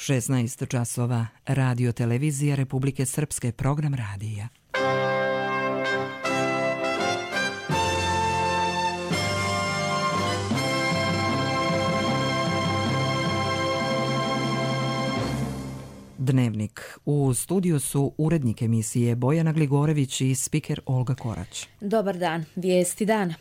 16 časova, Radio televizija Republike Srpske, program radija. Dnevnik. U studiju su urednik emisije Bojana Gligorević i spiker Olga Korać. Dobar dan, vijesti dana.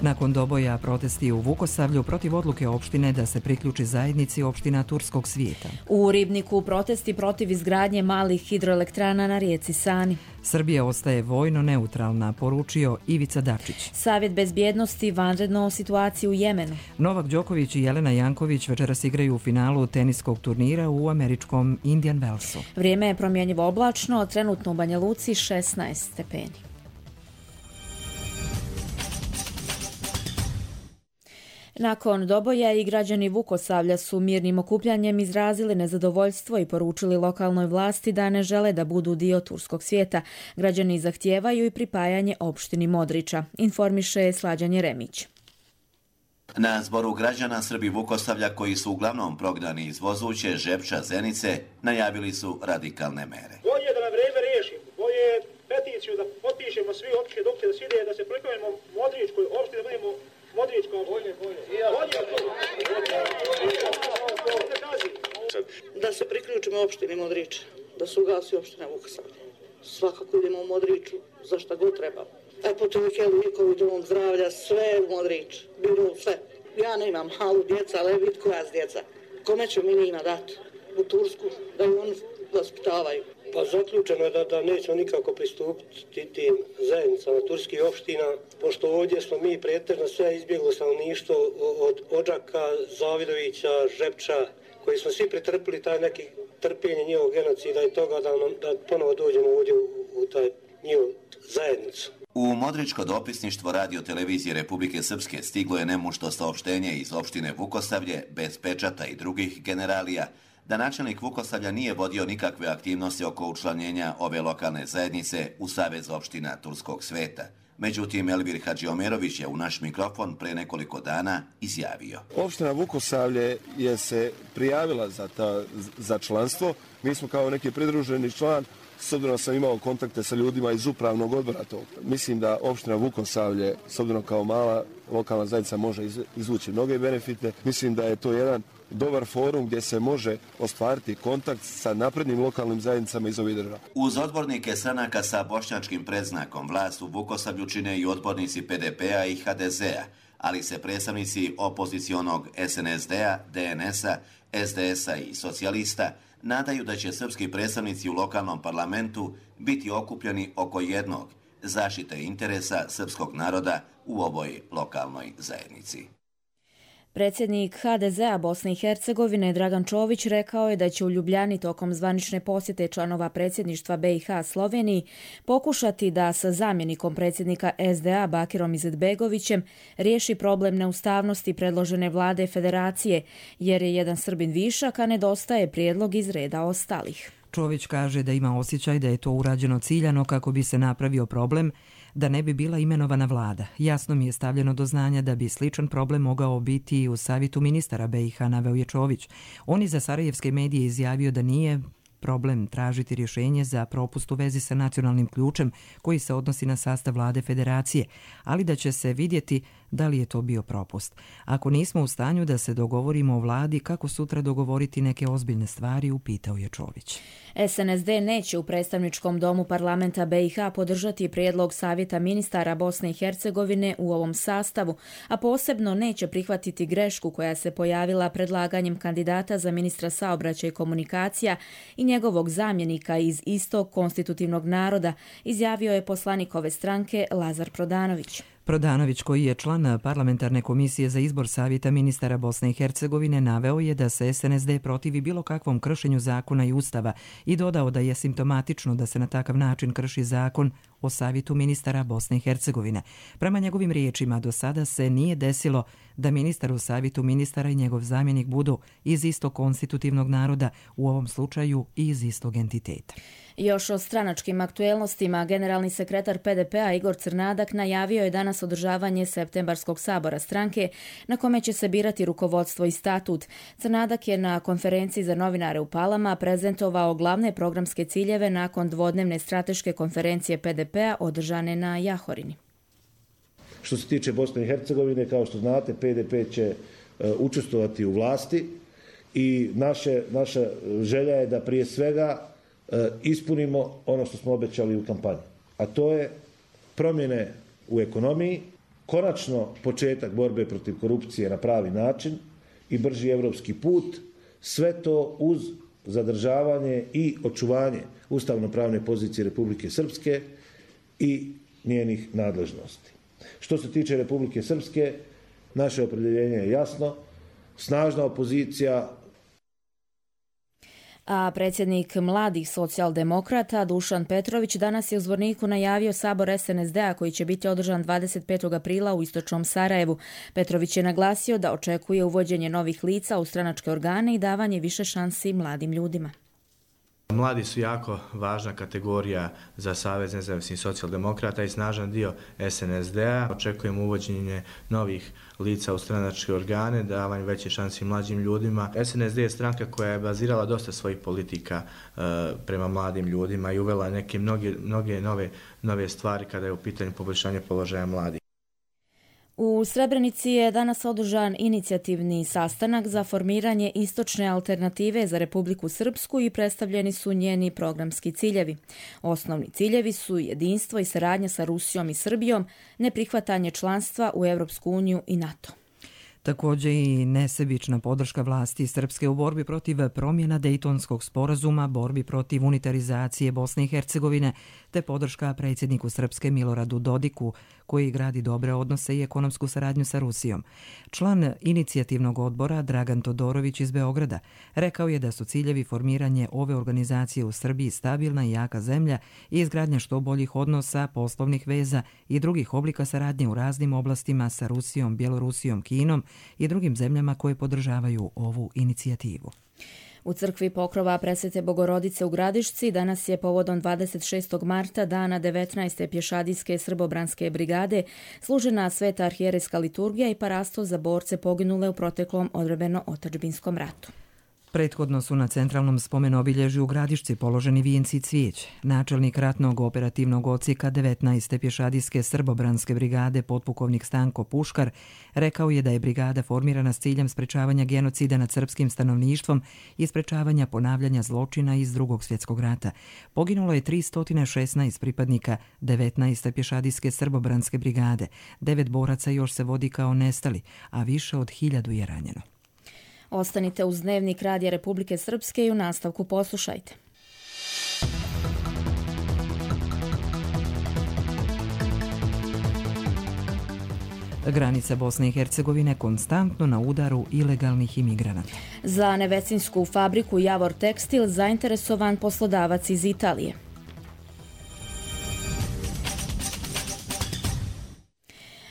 Nakon doboja protesti u Vukosavlju protiv odluke opštine da se priključi zajednici opština Turskog svijeta. U Ribniku protesti protiv izgradnje malih hidroelektrana na rijeci Sani. Srbija ostaje vojno neutralna, poručio Ivica Dačić. Savjet bezbjednosti vanredno o situaciji u Jemenu. Novak Đoković i Jelena Janković večeras igraju u finalu teniskog turnira u američkom Indian Wellsu. Vrijeme je promjenjivo oblačno, trenutno u Banja Luci 16 stepeni. Nakon doboja i građani Vukosavlja su mirnim okupljanjem izrazili nezadovoljstvo i poručili lokalnoj vlasti da ne žele da budu dio turskog svijeta. Građani zahtijevaju i pripajanje opštini Modriča, informiše Slađan Jeremić. Na zboru građana Srbi Vukosavlja, koji su uglavnom prognani iz Vozuće, Žepča, Zenice, najavili su radikalne mere. Bolje da na vrijeme riješimo, bolje peticiju da potpišemo svi opštine dok će da se ide, da se priklanjamo Modričkoj opštini, da budemo Modričko, bolje. Da se priključimo opštini Modrič, da se ugasi opština Vukosavlje. Svakako idemo u Modriču, za šta god treba. Apotekelu, Nikovi, dom zdravlja, sve u Modrič, biro sve. Ja nemam malu djeca, ali vid koja s djeca. Kome ću mi njima dati? U Tursku, da ju oni vaspitavaju. Pa zaključeno je da nećemo nikako pristupiti tim zajednicama turskih opština, pošto ovdje smo mi pretežno sve izbjeglo stanovništvo od Odžaka, Zavidovića, Žepča, koji smo svi pretrpili taj neki trpljenje njihovog genocida i toga da ponovo dođemo ovdje u taj njihov zajednicu. U Modričko dopisništvo Radio televizije Republike Srpske stiglo je nemušto saopštenje iz opštine Vukosavlje, bez pečata i drugih generalija, da načelnik Vukosavlja nije vodio nikakve aktivnosti oko učlanjenja ove lokalne zajednice u Savez opština Turskog sveta. Međutim, Elvir Hadžiomerović je u naš mikrofon pre nekoliko dana izjavio. Opština Vukosavlje je se prijavila za članstvo. Mi smo kao neki pridruženi član, s obzirom da sam imao kontakte sa ljudima iz upravnog odbora tog. Mislim da opština Vukosavlje, s obzirom kao mala lokalna zajednica, može izvući mnoge benefite. Mislim da je to jedan dobar forum gdje se može ostvariti kontakt sa naprednim lokalnim zajednicama iz ovih država. Uz odbornike stranaka sa bošnjačkim predznakom vlast u Vukosavlju čine i odbornici PDP-a i HDZ-a, ali se predstavnici opozicionog SNSD-a, DNS-a, SDS-a i socijalista nadaju da će srpski predstavnici u lokalnom parlamentu biti okupljeni oko jednog, zaštite interesa srpskog naroda u ovoj lokalnoj zajednici. Predsjednik HDZ-a Bosne i Hercegovine Dragan Čović rekao je da će u Ljubljani tokom zvanične posjete članova predsjedništva BiH Sloveniji pokušati da sa zamjenikom predsjednika SDA Bakirom Izetbegovićem riješi problem neustavnosti predložene vlade federacije, jer je jedan Srbin višak, a nedostaje prijedlog iz reda ostalih. Čović kaže da ima osjećaj da je to urađeno ciljano kako bi se napravio problem da ne bi bila imenovana vlada. Jasno mi je stavljeno do znanja da bi sličan problem mogao biti i u savjetu ministara BiH, naveo je Čović. On je za sarajevske medije izjavio da nije problem tražiti rješenje za propust u vezi sa nacionalnim ključem koji se odnosi na sastav vlade federacije, ali da će se vidjeti da li je to bio propust. Ako nismo u stanju da se dogovorimo o vladi, kako sutra dogovoriti neke ozbiljne stvari, upitao je Čović. SNSD neće u predstavničkom domu parlamenta BiH podržati prijedlog Savjeta ministara Bosne i Hercegovine u ovom sastavu, a posebno neće prihvatiti grešku koja se pojavila predlaganjem kandidata za ministra saobraćaja i komunikacija i njegovog zamjenika iz istog konstitutivnog naroda, izjavio je poslanik ove stranke Lazar Prodanović. Prodanović, koji je član parlamentarne komisije za izbor Savjeta ministara Bosne i Hercegovine, naveo je da se SNSD protivi bilo kakvom kršenju zakona i ustava i dodao da je simptomatično da se na takav način krši zakon o Savjetu ministara Bosne i Hercegovine. Prema njegovim riječima, do sada se nije desilo da ministar u Savjetu ministara i njegov zamjenik budu iz istog konstitutivnog naroda, u ovom slučaju i iz istog entiteta. Još o stranačkim aktuelnostima, generalni sekretar PDP-a Igor Crnadak najavio je danas održavanje septembarskog sabora stranke na kome će se birati rukovodstvo i statut. Crnadak je na konferenciji za novinare u Palama prezentovao glavne programske ciljeve nakon dvodnevne strateške konferencije PDP-a održane na Jahorini. Što se tiče Bosne i Hercegovine, kao što znate, PDP će učestvovati u vlasti i naša želja je da prije svega ispunimo ono što smo obećali u kampanji, a to je promjene u ekonomiji, konačno početak borbe protiv korupcije na pravi način i brži evropski put, sve to uz zadržavanje i očuvanje ustavno-pravne pozicije Republike Srpske i njenih nadležnosti. Što se tiče Republike Srpske, naše opredjeljenje je jasno, snažna opozicija. A predsjednik mladih socijaldemokrata Dušan Petrović danas je u Zvorniku najavio sabor SNSD-a koji će biti održan 25. aprila u istočnom Sarajevu. Petrović je naglasio da očekuje uvođenje novih lica u stranačke organe i davanje više šansi mladim ljudima. Mladi su jako važna kategorija za Savez nezavisnih socijaldemokrata i snažan dio SNSD-a. Očekujemo uvođenje novih lica u stranačke organe, davanje veće šansi mlađim ljudima. SNSD je stranka koja je bazirala dosta svojih politika prema mladim ljudima i uvela neke mnoge nove stvari kada je u pitanju poboljšanja položaja mladih. U Srebrenici je danas održan inicijativni sastanak za formiranje istočne alternative za Republiku Srpsku i predstavljeni su njeni programski ciljevi. Osnovni ciljevi su jedinstvo i saradnja sa Rusijom i Srbijom, neprihvatanje članstva u Europsku uniju i NATO. Također i nesebična podrška vlasti Srpske u borbi protiv promjena Dejtonskog sporazuma, borbi protiv unitarizacije Bosne i Hercegovine, te podrška predsjedniku Srpske Miloradu Dodiku, koji gradi dobre odnose i ekonomsku saradnju sa Rusijom. Član inicijativnog odbora Dragan Todorović iz Beograda rekao je da su ciljevi formiranje ove organizacije u Srbiji stabilna i jaka zemlja i izgradnja što boljih odnosa, poslovnih veza i drugih oblika saradnje u raznim oblastima sa Rusijom, Bjelorusijom, Kinom i drugim zemljama koje podržavaju ovu inicijativu. U crkvi Pokrova Presvete Bogorodice u Gradišci danas je povodom 26. marta, dana 19. pješadijske srbobranske brigade, služena sveta arhijerejska liturgija i parasto za borce poginule u proteklom odbrambeno-otadžbinskom ratu. Prethodno su na centralnom spomenobilježju u Gradišci položeni vijenci i cvijeće. Načelnik ratnog operativnog odsjeka 19. pješadijske srbobranske brigade potpukovnik Stanko Puškar rekao je da je brigada formirana s ciljem sprečavanja genocida nad srpskim stanovništvom i sprečavanja ponavljanja zločina iz Drugog svjetskog rata. Poginulo je 316 pripadnika 19. pješadijske srbobranske brigade. 9 boraca još se vodi kao nestali, a više od 1000 je ranjeno. Ostanite uz Dnevnik Radija Republike Srpske i u nastavku poslušajte. Granica Bosne i Hercegovine konstantno na udaru ilegalnih imigranata. Za nevecinsku fabriku Javor Tekstil zainteresovan poslodavac iz Italije.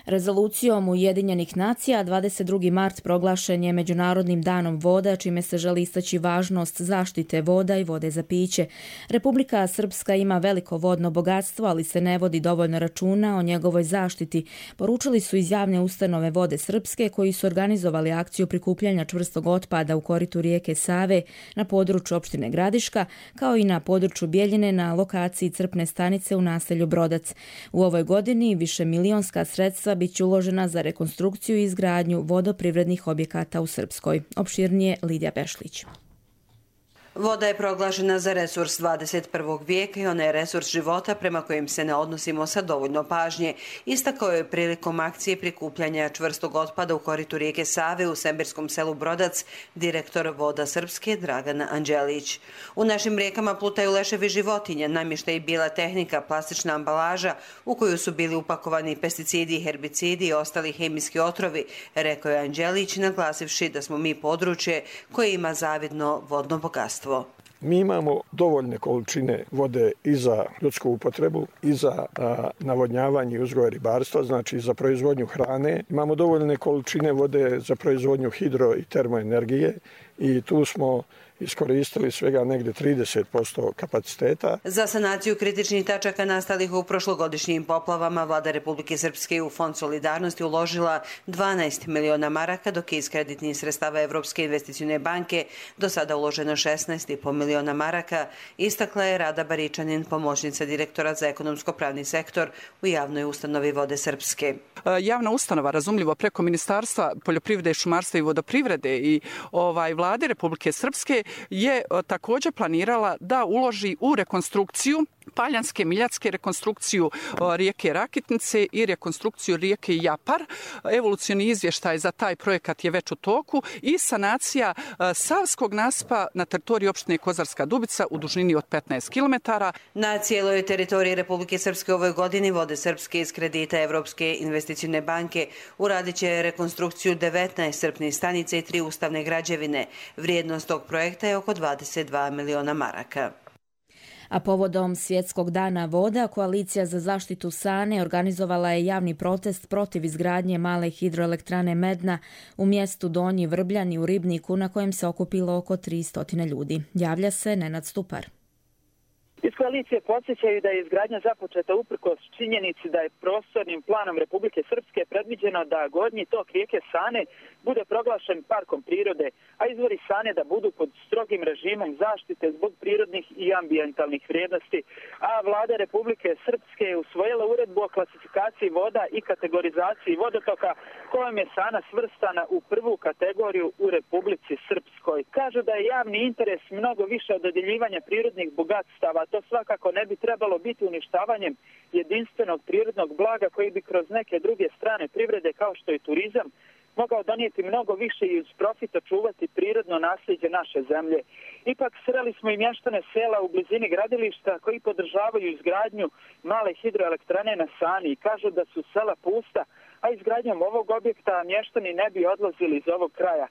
Rezolucijom Ujedinjenih nacija 22. mart proglašen je Međunarodnim danom voda, čime se želi istaći važnost zaštite voda i vode za piće. Republika Srpska ima veliko vodno bogatstvo, ali se ne vodi dovoljno računa o njegovoj zaštiti. Poručili su iz javne ustanove Vode Srpske, koji su organizovali akciju prikupljanja čvrstog otpada u koritu rijeke Save na području opštine Gradiška, kao i na području Bjeljine na lokaciji crpne stanice u naselju Brodac. U ovoj godini višemilionska sredstva biće uložena za rekonstrukciju i izgradnju vodoprivrednih objekata u Srpskoj. Opširnije Lidija Bešlić. Voda je proglašena za resurs 21. vijeka i ona je resurs života prema kojim se ne odnosimo sa dovoljno pažnje. Istakao je prilikom akcije prikupljanja čvrstog otpada u koritu rijeke Save u sembirskom selu Brodac direktor Voda Srpske Dragan Anđelić. U našim rijekama plutaju leševi životinja, namještaj i bijela tehnika, plastična ambalaža u koju su bili upakovani pesticidi, herbicidi i ostali hemijski otrovi, rekao je Anđelić, naglasivši da smo mi područje koje ima zavidno vodno bogatstvo. Mi imamo dovoljne količine vode i za ljudsku upotrebu, i za navodnjavanje i uzgoj ribarstva, znači za proizvodnju hrane. Imamo dovoljne količine vode za proizvodnju hidro i termoenergije i tu smo iskoristili svega negdje 30% kapaciteta. Za sanaciju kritičnih tačaka nastalih u prošlogodišnjim poplavama vlada Republike Srpske u Fond solidarnosti uložila 12 miliona maraka, dok je iz kreditnih sredstava Evropske investicione banke do sada uloženo 16,5 miliona maraka, istakla je Rada Baričanin, pomoćnica direktora za ekonomsko-pravni sektor u javnoj ustanovi Vode Srpske. Javna ustanova, razumljivo preko Ministarstva poljoprivrede, šumarstva i vodoprivrede i vlade Republike Srpske je također planirala da uloži u rekonstrukciju Paljanske, Miljacke, rekonstrukciju rijeke Rakitnice i rekonstrukciju rijeke Japar. Evolucioni izvještaj za taj projekat je već u toku i sanacija Savskog nasipa na teritoriji opštine Kozarska Dubica u dužini od 15 km. Na cijeloj teritoriji Republike Srpske u ovoj godini Vode Srpske iz kredita Evropske investicione banke uradit će rekonstrukciju 19 crpnih stanica i 3 ustavne građevine. Vrijednost tog projekta je oko 22 miliona maraka. A povodom Svjetskog dana voda, Koalicija za zaštitu Sane organizovala je javni protest protiv izgradnje male hidroelektrane Medna u mjestu Donji Vrbljani u Ribniku, na kojem se okupilo oko 300 ljudi. Javlja se Nenad Stupar. Iz koalicije podsjećaju da je izgradnja započeta uprkos činjenici da je prostornim planom Republike Srpske predviđeno da gornji tok rijeke Sane bude proglašen parkom prirode, a izvori Sane da budu pod strogim režimom zaštite zbog prirodnih i ambijentalnih vrijednosti. A vlada Republike Srpske je usvojila uredbu o klasifikaciji voda i kategorizaciji vodotoka, kojom je Sana svrstana u prvu kategoriju u Republici Srpskoj. Kažu da je javni interes mnogo više od dodjeljivanja prirodnih bogatstava. To svakako ne bi trebalo biti uništavanjem jedinstvenog prirodnog blaga koji bi kroz neke druge strane privrede kao što je turizam mogao donijeti mnogo više i uz profit očuvati prirodno nasljeđe naše zemlje. Ipak sreli smo i mještane sela u blizini gradilišta koji podržavaju izgradnju male hidroelektrane na Sani i kažu da su sela pusta, a izgradnjom ovog objekta mještani ne bi odlazili iz ovog kraja.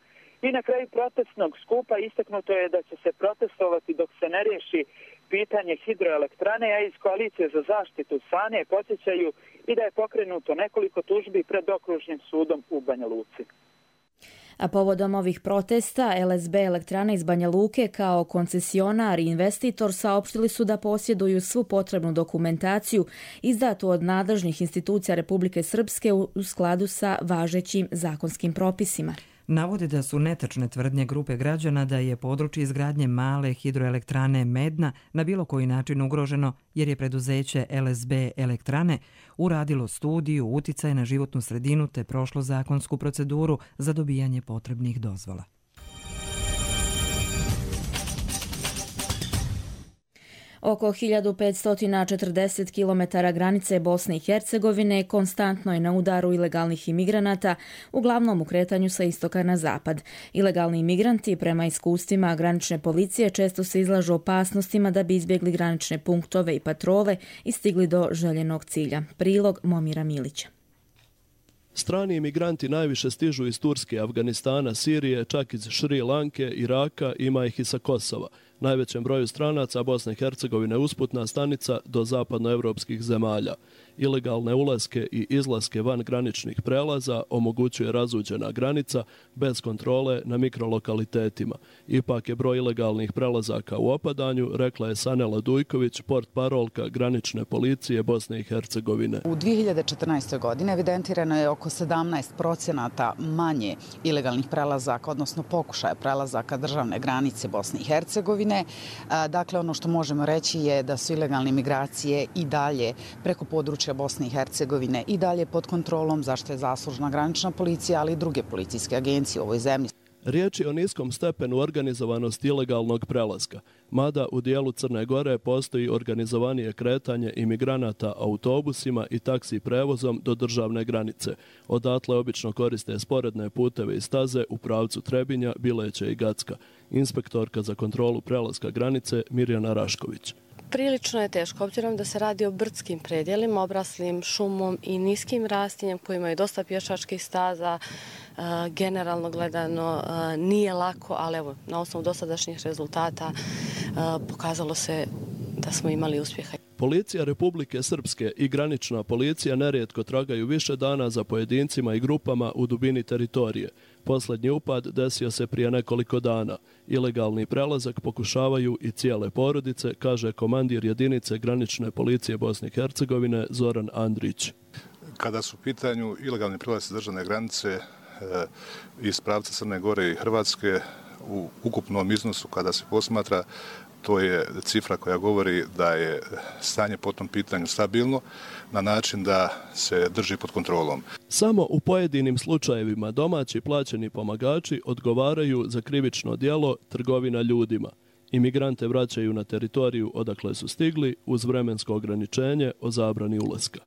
I na kraju protestnog skupa istaknuto je da će se protestovati dok se ne riješi pitanje hidroelektrane, a iz Koalicije za zaštitu Sane podsjećaju i da je pokrenuto nekoliko tužbi pred okružnim sudom u Banja Luci. A povodom ovih protesta, LSB Elektrana iz Banja Luke kao koncesionar i investitor saopštili su da posjeduju svu potrebnu dokumentaciju izdatu od nadležnih institucija Republike Srpske u skladu sa važećim zakonskim propisima. Navode da su netačne tvrdnje grupe građana da je područje izgradnje male hidroelektrane Medna na bilo koji način ugroženo jer je preduzeće LSB Elektrane uradilo studiju uticaja na životnu sredinu te prošlo zakonsku proceduru za dobijanje potrebnih dozvola. Oko 1540 km granice Bosne i Hercegovine konstantno je na udaru ilegalnih imigranata, uglavnom u kretanju sa istoka na zapad. Ilegalni imigranti, prema iskustvima granične policije, često se izlažu opasnostima da bi izbjegli granične punktove i patrole i stigli do željenog cilja. Prilog Momira Milića. Strani imigranti najviše stižu iz Turske, Afganistana, Sirije, čak iz Šri Lanke, Iraka, ima ih i sa Kosova. Najvećem broju stranaca Bosne i Hercegovine usputna stanica do zapadnoevropskih zemalja. Ilegalne ulaske i izlaske van graničnih prelaza omogućuje razuđena granica bez kontrole na mikrolokalitetima. Ipak je broj ilegalnih prelazaka u opadanju, rekla je Sanela Dujković, portparolka granične policije Bosne i Hercegovine. U 2014. godini evidentirano je oko 17% manje ilegalnih prelazaka, odnosno pokušaja prelazaka državne granice Bosne i Hercegovine. Dakle, ono što možemo reći je da su ilegalne migracije i dalje preko područja Bosne i Hercegovine i dalje pod kontrolom, zašto je zaslužna granična policija, ali i druge policijske agencije u ovoj zemlji. Riječ je o niskom stepenu organizovanosti ilegalnog prelaska, mada u dijelu Crne Gore postoji organizovanije kretanje imigranata autobusima i taksi prevozom do državne granice. Odatle obično koriste sporedne puteve i staze u pravcu Trebinja, Bileća i Gacka. Inspektorka za kontrolu prelaska granice Mirjana Rašković. Prilično je teško, obzirom da se radi o brdskim predjelima, obraslim šumom i niskim rastinjem koji imaju dosta pješačkih staza. Generalno gledano nije lako, ali evo, na osnovu dosadašnjih rezultata pokazalo se da smo imali uspjeha. Policija Republike Srpske i granična policija nerijetko tragaju više dana za pojedincima i grupama u dubini teritorije. Posljednji upad desio se prije nekoliko dana. Ilegalni prelazak pokušavaju i cijele porodice, kaže komandir jedinice granične policije Bosne i Hercegovine Zoran Andrić. Kada su u pitanju ilegalni prelazci državne granice iz pravca Crne Gore i Hrvatske, u ukupnom iznosu kada se posmatra, to je cifra koja govori da je stanje po tom pitanju stabilno na način da se drži pod kontrolom. Samo u pojedinim slučajevima domaći plaćeni pomagači odgovaraju za krivično djelo trgovina ljudima. Imigrante vraćaju na teritoriju odakle su stigli uz vremensko ograničenje o zabrani ulaska.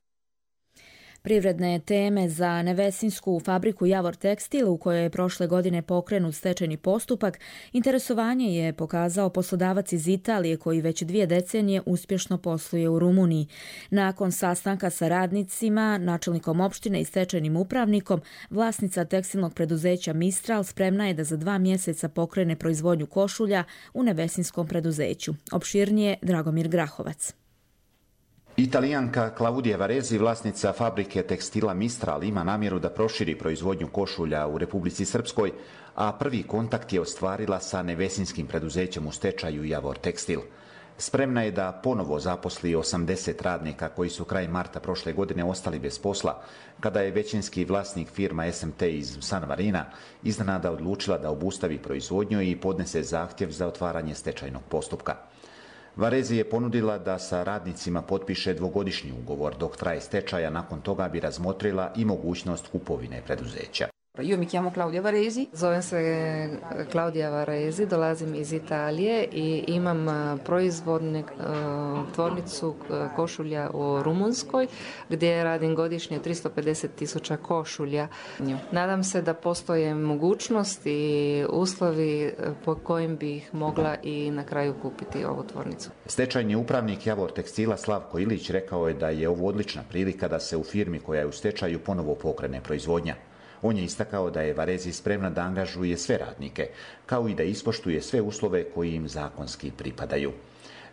Privredne teme za nevesinsku fabriku Javor Tekstil, u kojoj je prošle godine pokrenut stečajni postupak, interesovanje je pokazao poslodavac iz Italije koji već 2 decenije uspješno posluje u Rumuniji. Nakon sastanka sa radnicima, načelnikom opštine i stečajnim upravnikom, vlasnica tekstilnog preduzeća Mistral spremna je da za 2 mjeseca pokrene proizvodnju košulja u nevesinskom preduzeću. Opširnije Dragomir Grahovac. Italijanka Claudia Varesi, vlasnica fabrike tekstila Mistral, ima namjeru da proširi proizvodnju košulja u Republici Srpskoj, a prvi kontakt je ostvarila sa nevesinskim preduzećem u stečaju Javor Tekstil. Spremna je da ponovo zaposli 80 radnika koji su krajem marta prošle godine ostali bez posla, kada je većinski vlasnik firma SMT iz San Marina iznenada odlučila da obustavi proizvodnju i podnese zahtjev za otvaranje stečajnog postupka. Varesi je ponudila da sa radnicima potpiše 2-godišnji ugovor dok traje stečaja, nakon toga bi razmotrila i mogućnost kupovine preduzeća. Io mi chiamo Claudia Varesi, zovem se Claudia Varesi, dolazim iz Italije i imam proizvodnu tvornicu košulja u Rumunskoj gdje radim godišnje 350.000 košulja. Nadam se da postoje mogućnosti i uslovi po kojim bih mogla i na kraju kupiti ovu tvornicu. Stečajni upravnik Javor Tekstila Slavko Ilić rekao je da je ovo odlična prilika da se u firmi koja je u stečaju ponovo pokrene proizvodnja. On je istakao da je Varesi spremna da angažuje sve radnike, kao i da ispoštuje sve uslove koji im zakonski pripadaju.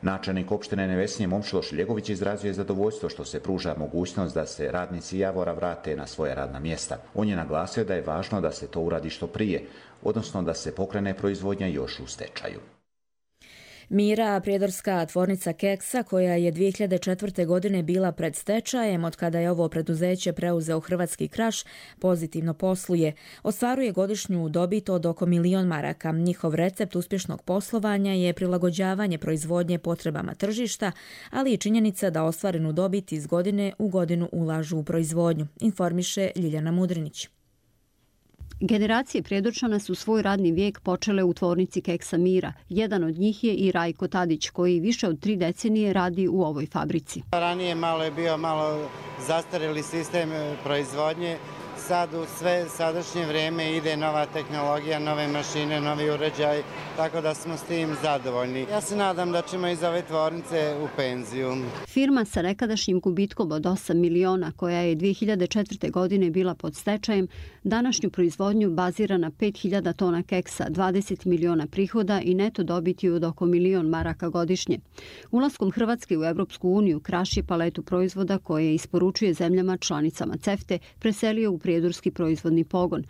Načelnik opštine Nevesinje Momčilo Šiljegović izrazio je zadovoljstvo što se pruža mogućnost da se radnici Javora vrate na svoja radna mjesta. On je naglasio da je važno da se to uradi što prije, odnosno da se pokrene proizvodnja još u stečaju. Mira, prijedorska tvornica keksa koja je 2004. godine bila pred stečajem, od kada je ovo preduzeće preuzeo Hrvatski Kraš, pozitivno posluje. Ostvaruje godišnju dobit od oko 1 milion maraka. Njihov recept uspješnog poslovanja je prilagođavanje proizvodnje potrebama tržišta, ali i činjenica da ostvarenu dobit iz godine u godinu ulažu u proizvodnju, informiše Ljiljana Mudrinić. Generacije Prijedorčana su svoj radni vijek počele u tvornici keksa Mira. Jedan od njih je i Rajko Tadić, koji više od 3 decenije radi u ovoj fabrici. Ranije je bio malo zastarjeli sistem proizvodnje. Sad u sve sadašnje vrijeme ide nova tehnologija, nove mašine, novi uređaj, tako da smo s tim zadovoljni. Ja se nadam da ćemo iz ove tvornice u penziju. Firma sa nekadašnjim gubitkom od 8 miliona, koja je 2004. godine bila pod stečajem, današnju proizvodnju bazira na 5000 tona keksa, 20 miliona prihoda i neto dobiti od oko 1 milion maraka godišnje. Ulaskom Hrvatske u Evropsku uniju, Kraš je paletu proizvoda koje isporučuje zemljama članicama CEFTA preselio u prijedorski proizvodni pogon.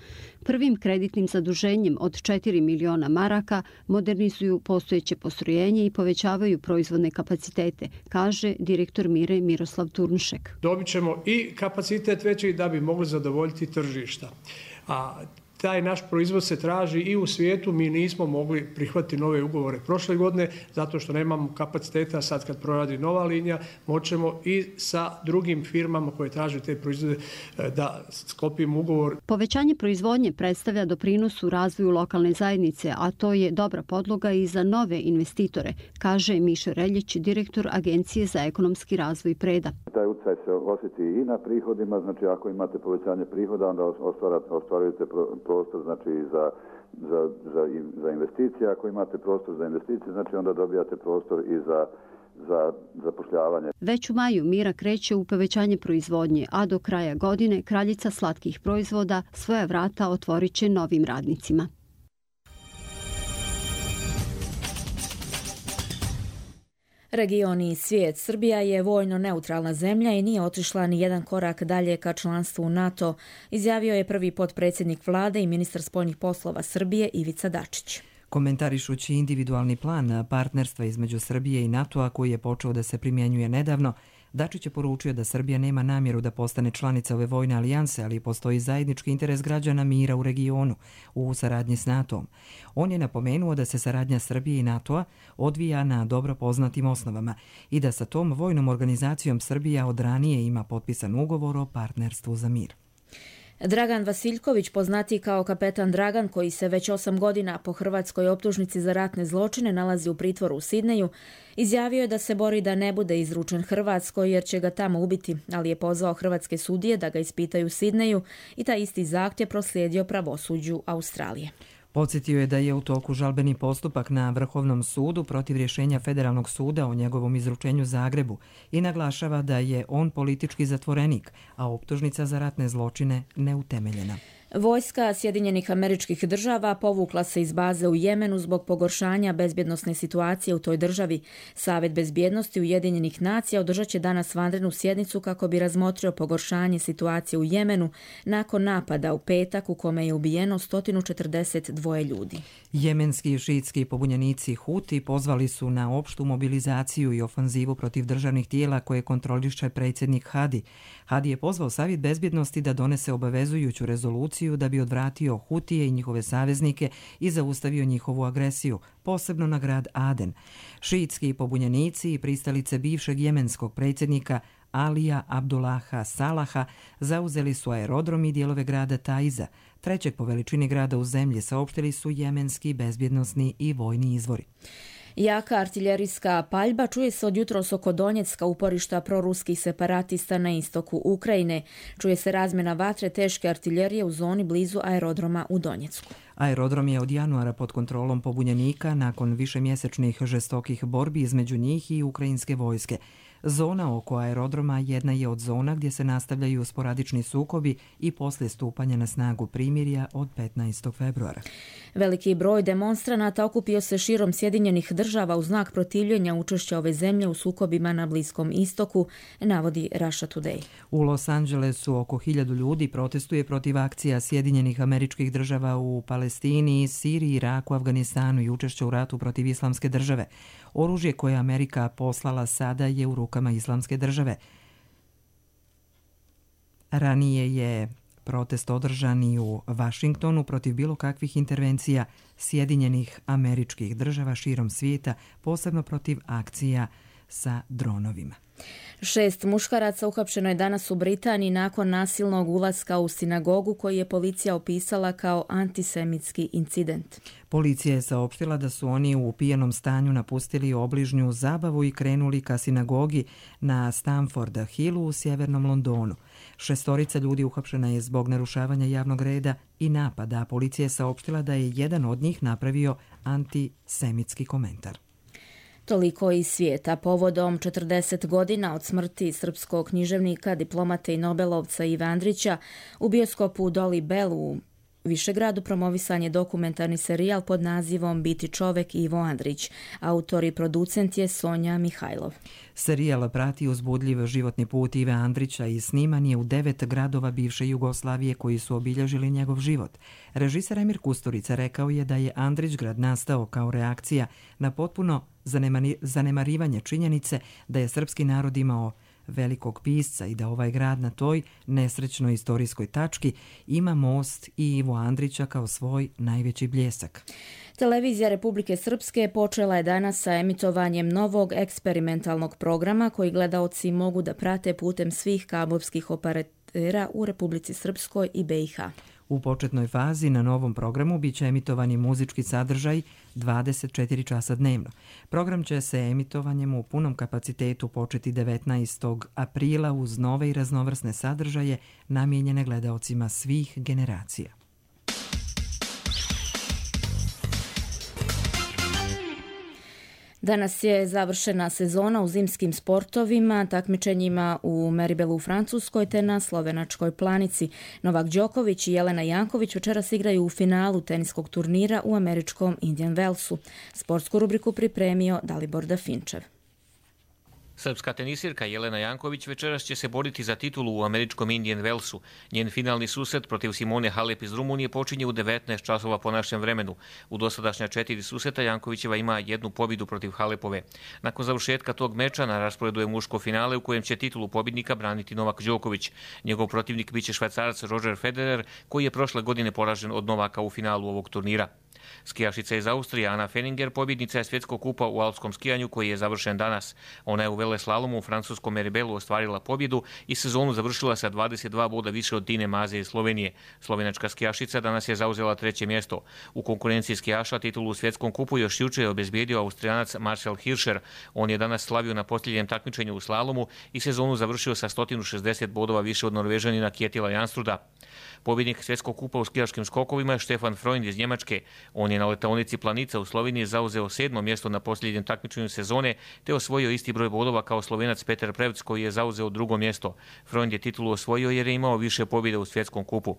Prvim kreditnim zaduženjem od 4 miliona maraka modernizuju postojeće postrojenje i povećavaju proizvodne kapacitete, kaže direktor Mire Miroslav Turnšek. Dobit ćemo i kapacitet veći da bi mogli zadovoljiti tržišta. A taj naš proizvod se traži i u svijetu. Mi nismo mogli prihvatiti nove ugovore prošle godine zato što nemamo kapaciteta. Sad kad proradi nova linija moćemo i sa drugim firmama koje traže te proizvode da sklopimo ugovor. Povećanje proizvodnje predstavlja doprinos u razvoju lokalne zajednice, a to je dobra podloga i za nove investitore, kaže Miša Reljić, direktor Agencije za ekonomski razvoj Preda. Taj utjecaj se osjeti i na prihodima, znači ako imate povećanje prihoda, onda ostvarujete prostor znači za investicije. Ako imate prostor za investicije, znači onda dobijate prostor i za zapošljavanje. Već u maju Mira kreće u povećanje proizvodnje, a do kraja godine kraljica slatkih proizvoda svoja vrata otvorit će novim radnicima. Region i svijet. Srbija je vojno neutralna zemlja i nije otišla ni jedan korak dalje ka članstvu u NATO, izjavio je prvi potpredsjednik vlade i ministar spoljnih poslova Srbije Ivica Dačić. Komentarišući individualni plan partnerstva između Srbije i NATO-a koji je počeo da se primjenjuje nedavno, Dačić je poručio da Srbija nema namjeru da postane članica ove vojne alijanse, ali postoji zajednički interes građana mira u regionu u saradnji s NATO-om. On je napomenuo da se saradnja Srbije i NATO-a odvija na dobro poznatim osnovama i da sa tom vojnom organizacijom Srbija od ranije ima potpisan ugovor o partnerstvu za mir. Dragan Vasiljković, poznatiji kao kapetan Dragan, koji se već 8 godina po hrvatskoj optužnici za ratne zločine nalazi u pritvoru u Sidneju, izjavio je da se bori da ne bude izručen Hrvatskoj jer će ga tamo ubiti, ali je pozvao hrvatske sudije da ga ispitaju u Sidneju i taj isti zahtjev proslijedio pravosuđu Australije. Podsjetio je da je u toku žalbeni postupak na Vrhovnom sudu protiv rješenja Federalnog suda o njegovom izručenju Zagrebu i naglašava da je on politički zatvorenik, a optužnica za ratne zločine neutemeljena. Vojska Sjedinjenih Američkih Država povukla se iz baze u Jemenu zbog pogoršanja bezbjednosne situacije u toj državi. Savjet bezbjednosti Ujedinjenih nacija održat će danas vanrednu sjednicu kako bi razmotrio pogoršanje situacije u Jemenu nakon napada u petak u kome je ubijeno 142 ljudi. Jemenski šiitski pobunjenici Huti pozvali su na opštu mobilizaciju i ofanzivu protiv državnih tijela koje kontroliše predsjednik Hadi. Hadi je pozvao Savjet bezbjednosti da donese obavezujuću rezoluciju da bi odvratio Hutije i njihove saveznike i zaustavio njihovu agresiju, posebno na grad Aden. Šiitski pobunjenici i pristalice bivšeg jemenskog predsjednika Alija Abdullaha Salaha zauzeli su aerodrom i dijelove grada Taiza, trećeg po veličini grada u zemlji, saopštili su jemenski bezbjednosni i vojni izvori. Jaka artiljerijska paljba čuje se od jutros oko Donjecka, uporišta proruskih separatista na istoku Ukrajine. Čuje se razmjena vatre teške artiljerije u zoni blizu aerodroma u Donjecku. Aerodrom je od januara pod kontrolom pobunjenika nakon višemjesečnih žestokih borbi između njih i ukrajinske vojske. Zona oko aerodroma jedna je od zona gdje se nastavljaju sporadični sukobi i poslije stupanja na snagu primirja od 15. februara. Veliki broj demonstranata okupio se širom Sjedinjenih Država u znak protivljenja učešća ove zemlje u sukobima na Bliskom istoku, navodi Russia Today. U Los Angelesu oko 1000 ljudi protestuje protiv akcija Sjedinjenih Američkih Država u Palestini, Siriji, Iraku, Afganistanu i učešća u ratu protiv Islamske države. Oružje koje Amerika poslala sada je u rukama Islamske države. Ranije je protest održan i u Vašingtonu protiv bilo kakvih intervencija Sjedinjenih Američkih Država širom svijeta, posebno protiv akcija sa dronovima. 6 muškaraca uhapšeno je danas u Britaniji nakon nasilnog ulaska u sinagogu koji je policija opisala kao antisemitski incident. Policija je saopštila da su oni u pijanom stanju napustili obližnju zabavu i krenuli ka sinagogi na Stamford Hillu u sjevernom Londonu. 6 ljudi uhapšena je zbog narušavanja javnog reda i napada, a policija je saopštila da je jedan od njih napravio antisemitski komentar. Toliko iz svijeta. Povodom 40 godina od smrti srpskog književnika, diplomate i nobelovca Ive Andrića, u bioskopu Dolly Bell u Višegradu promovisan je dokumentarni serijal pod nazivom Biti čovek Ivo Andrić. Autor i producent je Sonja Mihajlov. Serijal prati uzbudljiv životni put Ive Andrića i sniman je u 9 gradova bivše Jugoslavije koji su obilježili njegov život. Režiser Emir Kusturica rekao je da je Andrićgrad nastao kao reakcija na potpuno zanemarivanje činjenice da je srpski narod imao velikog pisca i da ovaj grad na toj nesrećnoj istorijskoj tački ima most i Ivo Andrića kao svoj najveći bljesak. Televizija Republike Srpske počela je danas sa emitovanjem novog eksperimentalnog programa koji gledaoci mogu da prate putem svih kablovskih operatera u Republici Srpskoj i BiH. U početnoj fazi na novom programu biće emitovani muzički sadržaj 24 časa dnevno. Program će se emitovanjem u punom kapacitetu početi 19. aprila uz nove i raznovrsne sadržaje namijenjene gledaocima svih generacija. Danas je završena sezona u zimskim sportovima, takmičenjima u Meribelu u Francuskoj te na Slovenačkoj Planici. Novak Đoković i Jelena Janković večeras igraju u finalu teniskog turnira u američkom Indian Wellsu. Sportsku rubriku pripremio Dalibor Dafinčev. Srpska tenisirka Jelena Janković večeras će se boriti za titulu u američkom Indian Wellsu. Njen finalni susret protiv Simone Halep iz Rumunije počinje u 19 časova po našem vremenu. U dosadašnja 4 susreta Jankovićeva ima 1 pobjedu protiv Halepove. Nakon završetka tog meča na rasporedu je muško finale u kojem će titulu pobjednika braniti Novak Đoković. Njegov protivnik biće Švajcarac Roger Federer, koji je prošle godine poražen od Novaka u finalu ovog turnira. Skijašica iz Austrije Ana Fenninger pobjednica je svjetskog kupa u alpskom skijanju koji je završen danas. Ona je u veleslalomu u francuskom Meribelu ostvarila pobjedu i sezonu završila sa 22 boda više od Tine Maze iz Slovenije. Slovenačka skijašica danas je zauzela 3. mjesto. U konkurenciji skijaša titulu u svjetskom kupu još juče je obezbijedio Austrijanac Marcel Hirscher. On je danas slavio na posljednjem takmičenju u slalomu i sezonu završio sa 160 bodova više od Norvežanina Kjetila Janstruda. Pobjednik svjetskog kupa u skijaškim skokovima je Stefan Freund iz Njemačke. On je na letaonici Planica u Sloveniji zauzeo 7. mjesto na posljednjem takmičenju sezone te osvojio isti broj bodova kao Slovenac Peter Prevc koji je zauzeo 2. mjesto. Freund je titulu osvojio jer je imao više pobjeda u svjetskom kupu.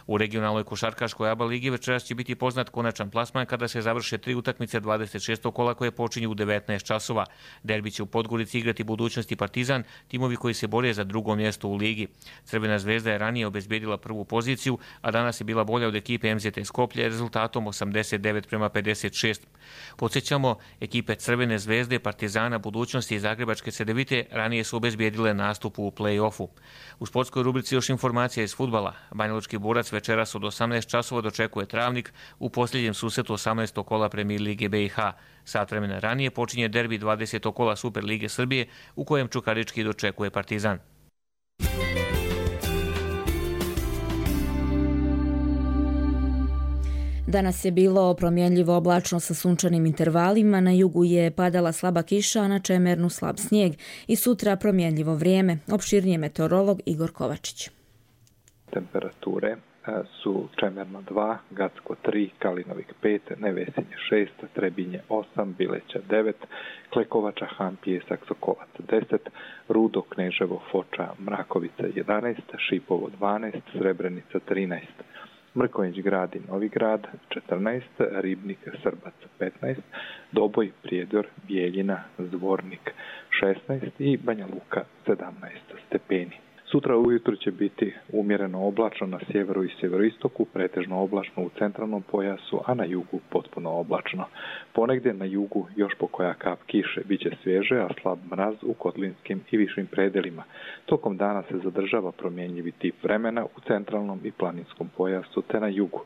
U regionalnoj košarkaškoj ABA ligi večeras će biti poznat konačan plasman kada se završe 3 utakmice 26. kola koje počinju u 19 časova. Derbi će u Podgorici igrati Budućnost i Partizan, timovi koji se bore za 2. mjesto u ligi. Crvena zvezda je ranije obezbijedila prvu poziciju, a danas je bila bolja od ekipe MZT Skoplje rezultatom 89-56. Podsjećamo, ekipe Crvene zvezde, Partizana, Budućnosti i Zagrebačke Cedevite ranije su obezbijedile nastup u play-offu. U sportskoj rubrici još informacija iz fudbala. Banjalučki Borac večeras od 18 časova dočekuje Travnik u posljednjem susretu 18. kola Premijer Lige BiH. Sat vremena ranije počinje derbi 20. kola Super Lige Srbije u kojem Čukarički dočekuje Partizan. Danas je bilo promjenljivo oblačno sa sunčanim intervalima, na jugu je padala slaba kiša, a na Čemernu slab snijeg i sutra promjenljivo vrijeme. Opširnije meteorolog Igor Kovačić. Temperature su Čemerno 2, Gacko 3, Kalinovik 5, Nevesinje 6, Trebinje 8, Bileća 9, Klekovača, Han, Pijesak, Sokolac 10, Rudo, Kneževo, Foča, Mrakovica 11, Šipovo 12, Srebrenica 13, Mrkonjić Grad i Novi Grad 14, Ribnik, Srbac 15, Doboj, Prijedor, Bijeljina, Zvornik 16 i Banja Luka 17 stepeni. Sutra ujutro će biti umjereno oblačno na sjeveru i sjeveroistoku, pretežno oblačno u centralnom pojasu, a na jugu potpuno oblačno. Ponegdje na jugu još po koja kap kiše, bit će svježe, a slab mraz u kotlinskim i višim predelima. Tokom dana se zadržava promjenjivi tip vremena u centralnom i planinskom pojasu te na jugu.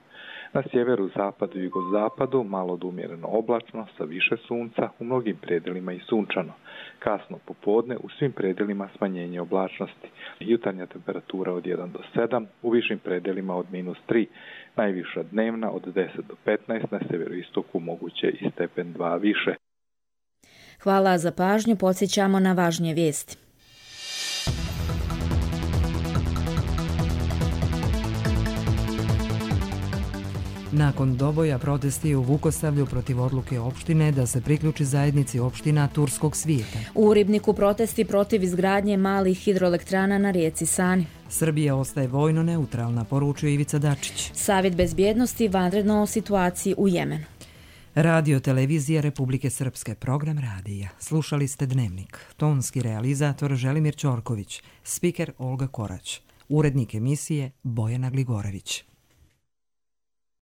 Na sjeveru, zapadu i jugozapadu malo do umjereno oblačno sa više sunca, u mnogim predelima i sunčano. Kasno popodne u svim predelima smanjenje oblačnosti. Jutarnja temperatura od 1 do 7, u višim predelima od -3, najviša dnevna od 10 do 15, na sjeveroistoku moguće i stepen 2 više. Hvala za pažnju, podsjećamo na važnije vijesti. Nakon doboja protesti u Vukosavlju protiv odluke opštine da se priključi zajednici opština Turskog svijeta. U Ribniku protesti protiv izgradnje malih hidroelektrana na rijeci Sani. Srbija ostaje vojno neutralna, poručuje Ivica Dačić. Savjet bezbjednosti vanredno o situaciji u Jemenu. Radio Televizija Republike Srpske, program radija. Slušali ste Dnevnik. Tonski realizator Želimir Ćorković, spiker Olga Korać, urednik emisije Bojana Gligorević.